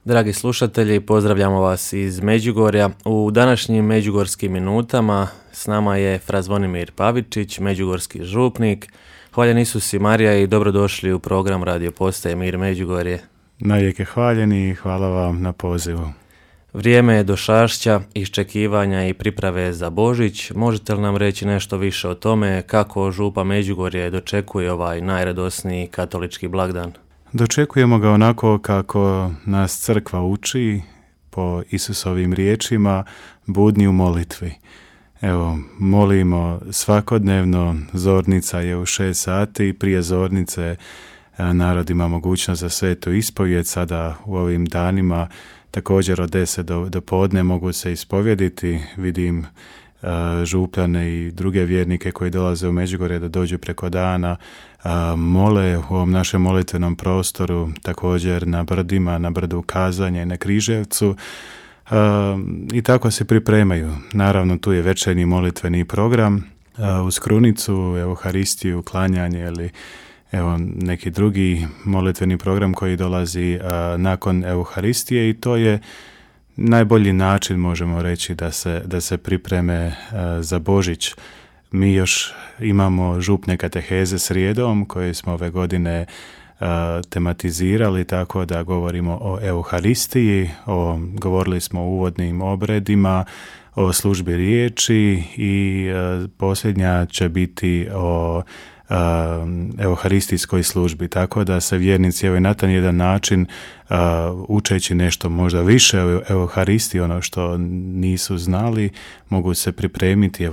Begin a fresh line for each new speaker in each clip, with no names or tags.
Dragi slušatelji, pozdravljamo vas iz Međugorja. U današnjim Međugorskim minutama s nama je fra Zvonimir Pavičić, međugorski župnik. Hvaljen Isus i Marija i dobrodošli u program Radio Postaje Mir Međugorje.
Najvijek je hvaljeni i hvala vam na pozivu.
Vrijeme je došašća, iščekivanja i priprave za Božić. Možete li nam reći nešto više o tome kako župa Međugorje dočekuje ovaj najradosniji katolički blagdan?
Dočekujemo ga onako kako nas crkva uči po Isusovim riječima, budni u molitvi. Evo, molimo svakodnevno, zornica je u 6 sati, prije zornice narod ima mogućnost za svetu ispovijed, sada u ovim danima također od 10 do podne mogu se ispovjediti. Vidim župljane i druge vjernike koji dolaze u Međugorje da dođu preko dana, mole u ovom našem molitvenom prostoru, također na brdima, na brdu Kazanje i na Križevcu, i tako se pripremaju. Naravno, tu je večernji molitveni program, uz krunicu, Euharistiju, klanjanje ili neki drugi molitveni program koji dolazi nakon Euharistije, i to je najbolji način, možemo reći, da se pripreme za Božić. Mi još imamo župne kateheze srijedom koje smo ove godine tematizirali tako da govorimo o Euharistiji, govorili smo o uvodnim obredima, o službi riječi i posljednja će biti o euharistijskoj službi, tako da se vjernici na taj jedan način učeći nešto možda više o Euharistiji, ono što nisu znali, mogu se pripremiti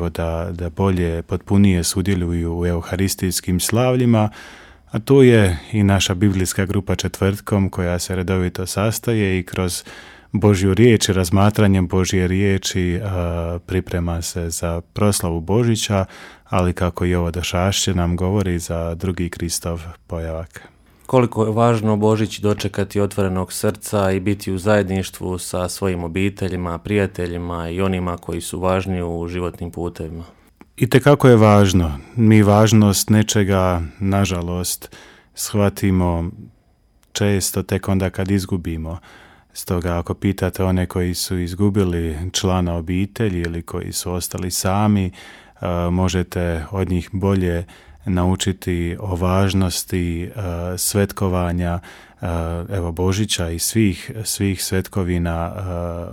da bolje, potpunije sudjeluju u euharistijskim slavljima. A tu je i naša biblijska grupa četvrtkom koja se redovito sastaje i kroz Božju riječ i razmatranjem Božje riječi priprema se za proslavu Božića, ali kako i ovo došašće nam govori, za drugi Kristov pojavak.
Koliko je važno Božić dočekati otvorenog srca i biti u zajedništvu sa svojim obiteljima, prijateljima i onima koji su važni u životnim putevima?
Itekako je važno. Mi važnost nečega, nažalost, shvatimo često tek onda kad izgubimo. Stoga ako pitate one koji su izgubili člana obitelji ili koji su ostali sami, možete od njih bolje naučiti o važnosti svetkovanja Božića i svih svetkovina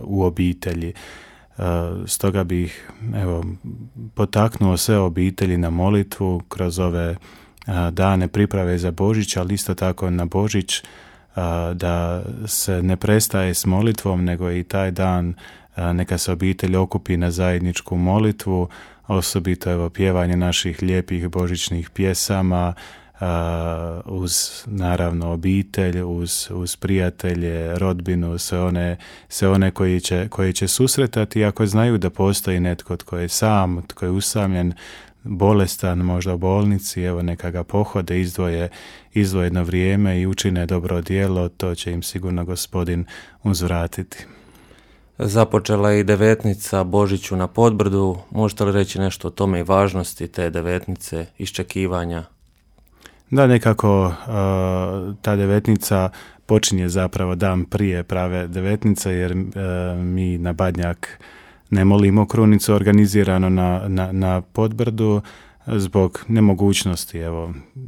u obitelji. Stoga bih potaknuo sve obitelji na molitvu kroz ove dane priprave za Božić, ali isto tako na Božić, da se ne prestaje s molitvom, nego i taj dan neka se obitelj okupi na zajedničku molitvu, osobito pjevanje naših lijepih božićnih pjesama, uz naravno obitelj, uz prijatelje, rodbinu, sve one koji će susretati, ako znaju da postoji netko tko je sam, tko je usamljen, bolestan, možda u bolnici, neka ga pohode, izdvoje jedno vrijeme i učine dobro djelo, to će im sigurno Gospodin uzvratiti.
Započela je i devetnica Božiću na Podbrdu. Možete li reći nešto o tome i važnosti te devetnice, iščekivanja?
Da, nekako ta devetnica počinje zapravo dan prije prave devetnice, jer mi na Badnjak ne molimo krunicu organizirano na Podbrdu zbog nemogućnosti,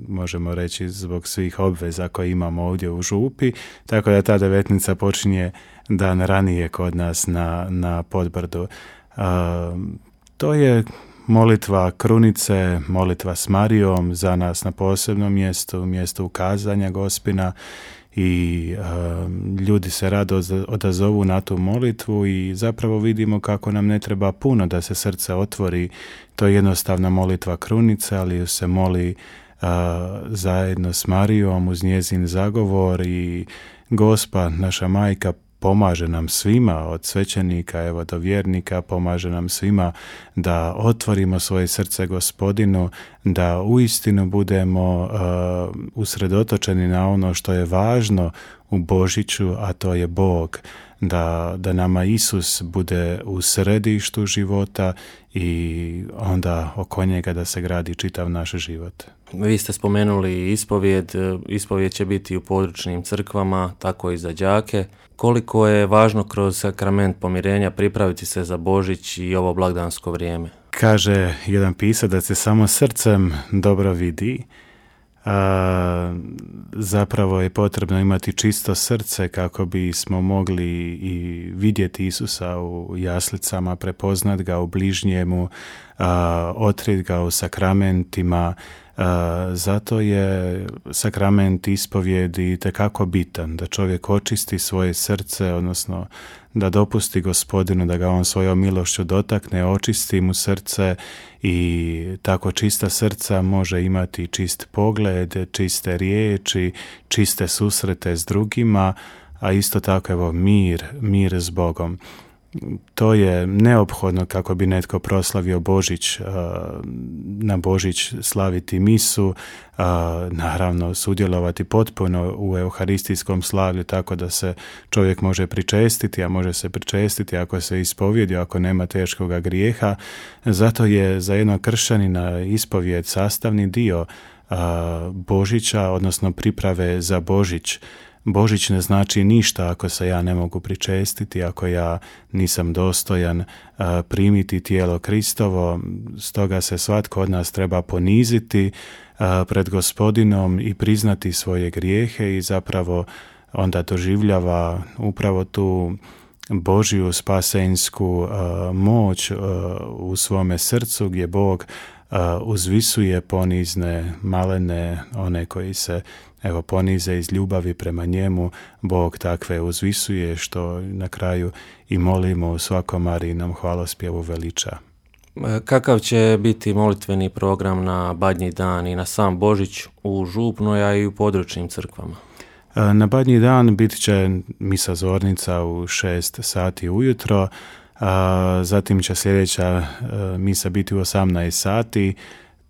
možemo reći zbog svih obveza koje imamo ovdje u župi, tako da ta devetnica počinje dan ranije kod nas na Podbrdu. To je molitva krunice, molitva s Marijom za nas na posebnom mjestu Kazanja Gospina, i ljudi se rado odazovu na tu molitvu i zapravo vidimo kako nam ne treba puno da se srce otvori. To je jednostavna molitva krunice, ali se moli zajedno s Marijom uz njezin zagovor, i Gospa, naša majka, pomaže nam svima, od svećenika do vjernika, pomaže nam svima da otvorimo svoje srce Gospodinu, da uistinu budemo usredotočeni na ono što je važno u Božiću, a to je Bog. da nama Isus bude u središtu života i onda oko njega da se gradi čitav naš život.
Vi ste spomenuli ispovijed. Ispovijed će biti u područnim crkvama, tako i za đake. Koliko je važno kroz sakrament pomirenja pripraviti se za Božić i ovo blagdansko vrijeme?
Kaže jedan pisac da se samo srcem dobro vidi. Zapravo je potrebno imati čisto srce kako bismo mogli i vidjeti Isusa u jaslicama, prepoznat ga u bližnjemu, otkrit ga u sakramentima. Zato je sakrament ispovjedi itekako bitan, da čovjek očisti svoje srce, odnosno da dopusti Gospodinu da ga on svojom milošću dotakne, očisti mu srce i tako čista srca može imati čist pogled, čiste riječi, čiste susrete s drugima, a isto tako evo mir s Bogom. To je neophodno kako bi netko proslavio Božić, na Božić slaviti misu, naravno sudjelovati potpuno u euharistijskom slavlju tako da se čovjek može pričestiti, a može se pričestiti ako se ispovjedi, ako nema teškoga grijeha. Zato je za jednog kršćanina ispovjed sastavni dio Božića, odnosno priprave za Božić. Božić ne znači ništa ako se ja ne mogu pričestiti, ako ja nisam dostojan primiti tijelo Kristovo. Stoga se svatko od nas treba poniziti pred Gospodinom i priznati svoje grijehe i zapravo onda doživljava upravo tu Božju spasensku moć u svome srcu gdje Bog uzvisuje ponizne, malene, one koji se ponize iz ljubavi prema njemu. Bog takve uzvisuje što na kraju i molimo u svakom Marijinom hvalospjevu veliča.
Kakav će biti molitveni program na Badnji dan i na sam Božić u župnoj, a i u područnim crkvama?
Na Badnji dan bit će misa zornica u 6 sati ujutro, zatim će sljedeća misa biti u 18 sati.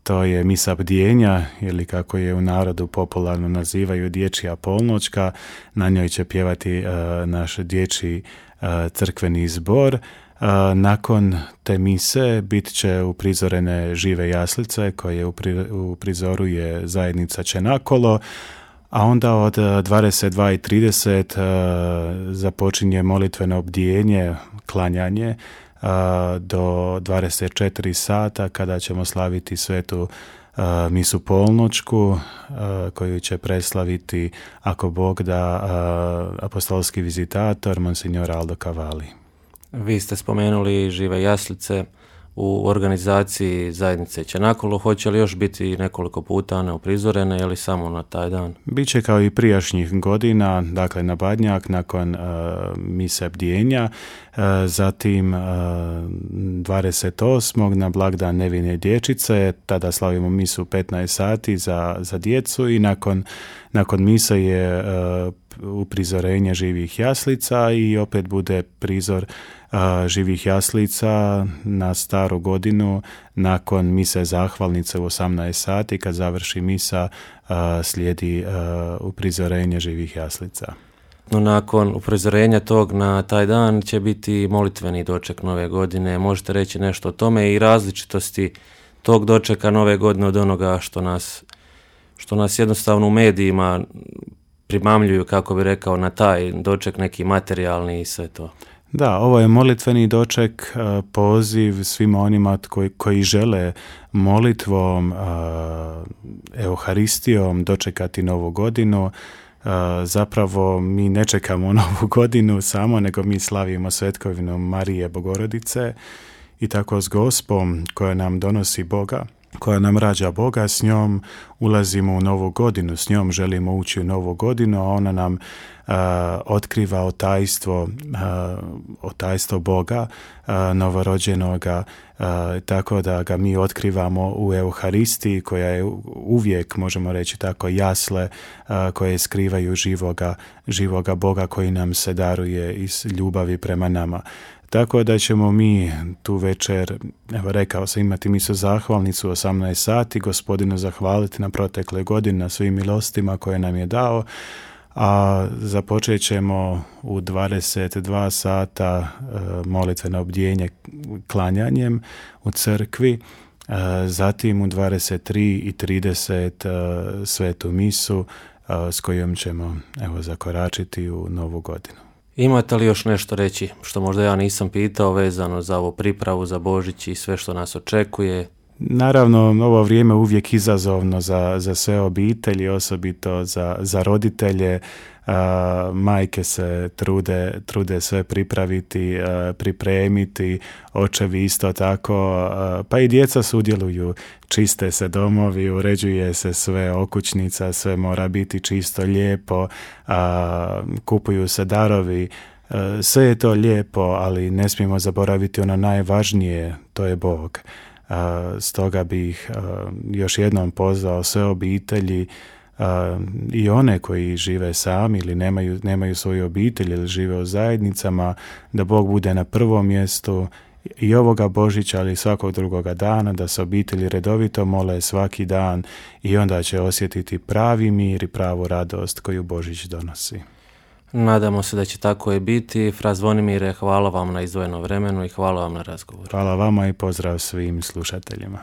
To je misa bdjenja, ili kako je u narodu popularno nazivaju dječja polnoćka. Na njoj će pjevati naš dječji crkveni zbor. Nakon te mise bit će uprizorene žive jaslice koje u prizoru je zajednica Čenakolo, a onda od 22:30 započinje molitveno bdjenje, klanjanje, do 24 sata kada ćemo slaviti svetu misu polnoćku koju će preslaviti, ako Bog da, apostolski vizitator Monsignor Aldo Cavalli.
Vi ste spomenuli žive jaslice u organizaciji zajednice Čenakolo. Hoće li još biti nekoliko puta one uprizorene ili samo na taj dan?
Biće kao i prijašnjih godina, dakle na Badnjak nakon mise bdjenja, zatim 28. na blagdan Nevine dječice, tada slavimo misu 15 sati za djecu i nakon mise je uprizorenje živih jaslica i opet bude prizor živih jaslica na staru godinu nakon mise zahvalnice u 18 sati. Kad završi misa slijedi uprizorenje živih jaslica.
No, nakon uprizorenja tog na taj dan će biti molitveni doček nove godine. Možete reći nešto o tome i različitosti tog dočeka nove godine od onoga što nas jednostavno u medijima primamljuju, kako bi rekao, na taj doček neki materijalni i sve to.
Da, ovo je molitveni doček, poziv svima onima koji žele molitvom, euharistijom dočekati novu godinu. Zapravo mi ne čekamo novu godinu samo, nego mi slavimo svetkovinu Marije Bogorodice i tako s Gospom koja nam donosi Boga, koja nam rađa Boga, s njom ulazimo u novu godinu, s njom želimo ući u novu godinu, a ona nam otkriva otajstvo Boga, novorođenoga, tako da ga mi otkrivamo u Euharistiji, koja je uvijek, možemo reći tako, jasle koje skrivaju živoga Boga koji nam se daruje iz ljubavi prema nama. Tako da ćemo mi tu večer, rekao sam, imati misu zahvalnicu u 18 sati, Gospodinu zahvaliti na protekle godine, na svim milostima koje nam je dao, a započet ćemo u 22 sata molitveno obdjenje klanjanjem u crkvi, zatim u 23:30 svetu misu s kojom ćemo zakoračiti u novu godinu.
Imate li još nešto reći što možda ja nisam pitao vezano za ovu pripravu za Božić i sve što nas očekuje?
Naravno, ovo vrijeme je uvijek izazovno za sve obitelji, osobito za roditelje. Majke se trude sve pripraviti, pripremiti, očevi isto tako, pa i djeca sudjeluju, čiste se domovi, uređuje se sve, okućnica, sve mora biti čisto, lijepo, kupuju se darovi, sve je to lijepo, ali ne smijemo zaboraviti ono najvažnije, to je Bog. Stoga bih još jednom pozvao sve obitelji i one koji žive sami ili nemaju svoju obitelj ili žive u zajednicama, da Bog bude na prvom mjestu i ovoga Božića, ali i svakog drugoga dana, da se obitelji redovito mole svaki dan i onda će osjetiti pravi mir i pravu radost koju Božić donosi.
Nadamo se da će tako i biti. Fra Zvonimire, hvala vam na izdvojenom vremenu i hvala vam na razgovoru.
Hvala vama i pozdrav svim slušateljima.